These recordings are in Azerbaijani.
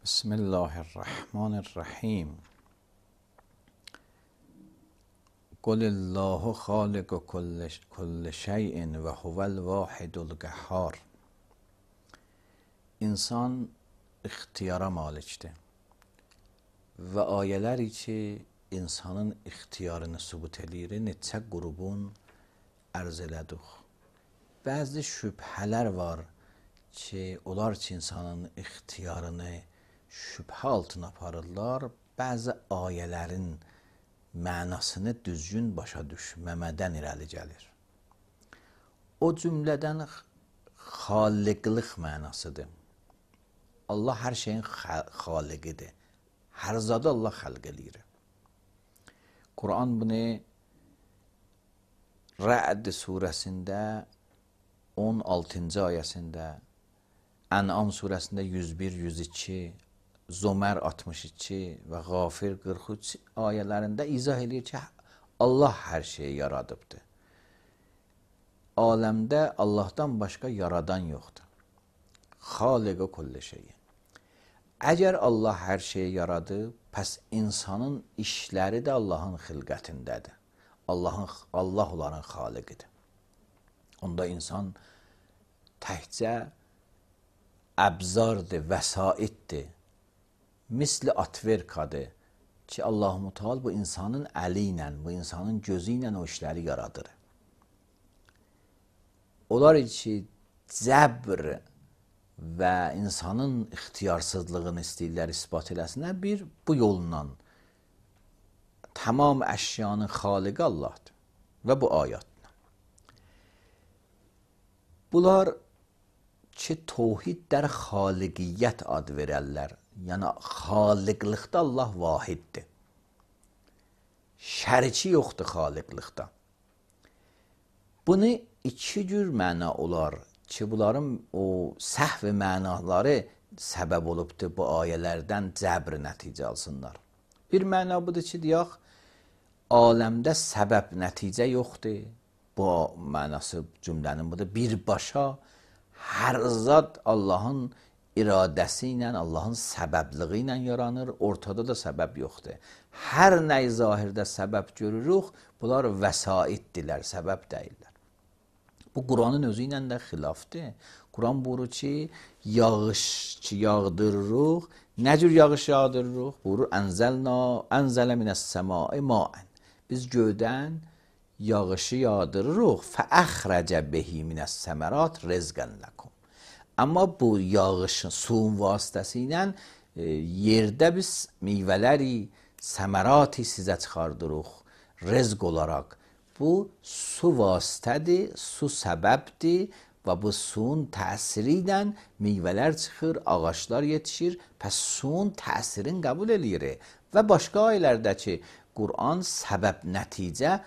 بسم الله الرحمن الرحیم. قل الله خالق کل شیء و هو الواحد القهار. İnsan ixtiyara malikdir və ayələri ki, insanın ixtiyarını sübut edir, neçə qrubun ərz elədik. Bəzi şübhələr var ki, onlar ki, insanın ixtiyarını şübhə altına aparırlar, bəzi ayələrin mənasını düzgün başa düşməmədən irəli gəlir. O cümlədən xaliqlik mənasıdır. Allah hər şeyin xaliqidir. Hər zadı Allah xəlq eləyir. Quran bunu Rə'd surəsində 16-cı ayəsində, Ən'am surəsində 101-102, Zömər 62 və Qafir 43 ayələrində izah edir ki, Allah hər şeyi yaradıbdır. Aləmdə Allahdan başqa yaradan yoxdur. Xaliq-i kulli şeyin. Əgər Allah hər şeyi yaradıb, pəs insanın işləri də Allahın xilqətindədir. Allah onların xaliqidir. Onda insan təkcə əbzardır, vəsaitdir. Misli atverkadır ki, Allah-u Teala bu insanın əli ilə, bu insanın gözü ilə o işləri yaradır. Onlar ki, cəbr və insanın ixtiyarsızlığını istəyirlər ispat eləsinlər, bir bu yolla tamam əşyanın xaliqi Allahdır və bu ayətlə. Bunlar ki, tohid dər xaliqiyyət ad verərlər. Yəni, xaliqlikdə Allah vahiddir. Şəriki yoxdur xaliqlikdə. Bunu iki cür məna olar ki, bunların o səhv mənaları səbəb olubdur bu ayələrdən cəbr nəticə alsınlar. Bir məna budur ki, deyək, aləmdə səbəb nəticə yoxdur. Bu mənası cümlənin budur. Birbaşa hər zat Allahın iradəsi ilə, Allahın səbəbliği ilə yaranır, ortada da səbəb yoxdur. Hər nəy zahirdə səbəb görürük, bunlar vəsaitdirlər, səbəb deyirlər. Bu, Quranın özü ilə də xilafdır. Quran buyurur ki, yağış ki, yağdırırıq, nə cür yağış yağdırırıq? Buyurur, ənzələ minəs-səmai maən. Biz göydən yağışı yağdırırıq, fəəxrəcə behi minəs-səmərat rizqən ləkum. Amma bu yağışın, suyun vasitəsilə yerdə biz meyvələri, səmərati sizə çıxardırıq, rizq olaraq. Bu, su vasitədir, su səbəbdir və bu suyun təsiri ilə meyvələr çıxır, ağaçlar yetişir, pəs suyun təsirini qəbul edir. Və başqa ayələrdə ki, Quran səbəb nəticə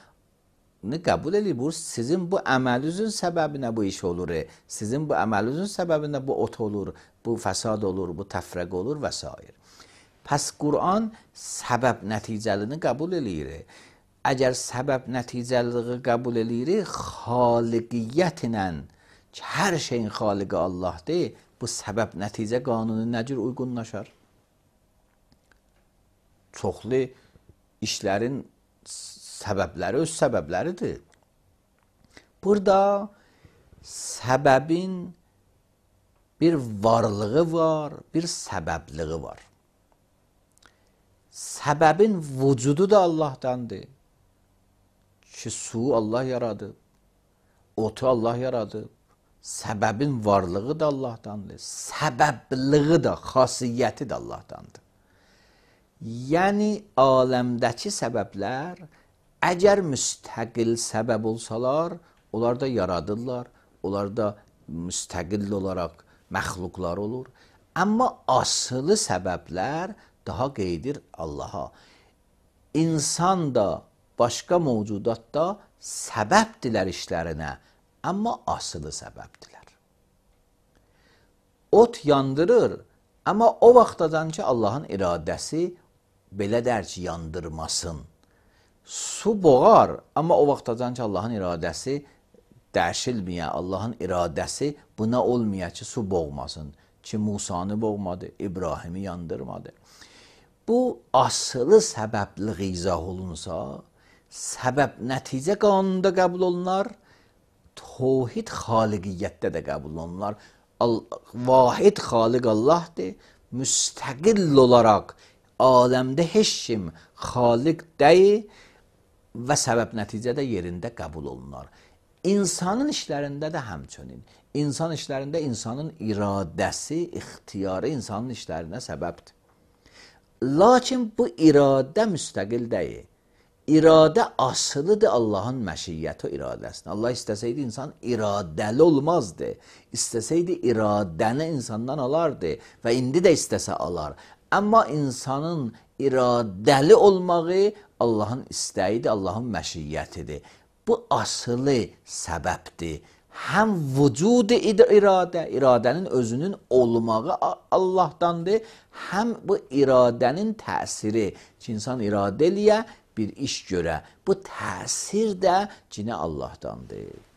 qəbul edir. Bu, sizin bu əməlinizin səbəbinə bu iş olur. Sizin bu əməlinizin səbəbinə bu ot olur, bu fəsad olur, bu təfrəq olur və s. Pəs Quran səbəb nəticəlini qəbul edir. Əgər səbəb nəticəliliği qəbul edir, xaliqiyyət ilə ki, hər şeyin xaliqi Allahdır, bu səbəb nəticə qanunu nə cür uyğunlaşar? Çoxlu işlərin səbəbləri öz səbəbləridir. Burada səbəbin bir varlığı var, bir səbəbliği var. Səbəbin vücudu da Allahdandır. Ki, su Allah yaradıb, otu Allah yaradıb, səbəbin varlığı da Allahdandır, səbəbliği da, xasiyyəti də Allahdandır. Yəni, aləmdəki səbəblər əgər müstəqil səbəb olsalar, onlar da yaradırlar, onlar da müstəqil olaraq məxluqlar olur. Amma asılı səbəblər daha qeydir Allaha. İnsan da, başqa mövcudat da səbəbdirlər işlərinə, amma asılı səbəbdirlər. Ot yandırır, amma o vaxtadan ki, Allahın iradəsi belə dər ki, yandırmasın. Su boğar, amma o vaxtadan ki, Allahın iradəsi dəyişilməyə, Allahın iradəsi buna olmaya ki, su boğmasın. ki Musanı boğmadı, İbrahimi yandırmadı. Bu asılı səbəbli izah olunsa, səbəb nəticə qanununda qəbul olunar, tevhid xaliqiyyətdə də qəbul olunar. Vahid xaliq Allahdır, müstəqil olaraq aləmdə heç kim xaliq deyil və səbəb nəticədə yerində qəbul olunar. İnsanın işlərində də həmçinin. İnsan işlərində insanın iradəsi, ixtiyarı insanın işlərinə səbəbdir. Lakin bu iradə müstəqil deyil. İradə asılıdır Allahın məşiyyəti o iradəsində. Allah istəsəydi insan iradəli olmazdı. İstəsəydi iradəni insandan alardı və indi də istəsə alar. Amma insanın iradəli olmağı Allahın istəyidir, Allahın məşiyyətidir. Bu asılı səbəbdir. Həm vücud iradə, iradənin özünün olmağı Allahdandır, həm bu iradənin təsiri ki, insan iradə eləyə, bir iş görə. Bu təsir də yine Allah'tandır.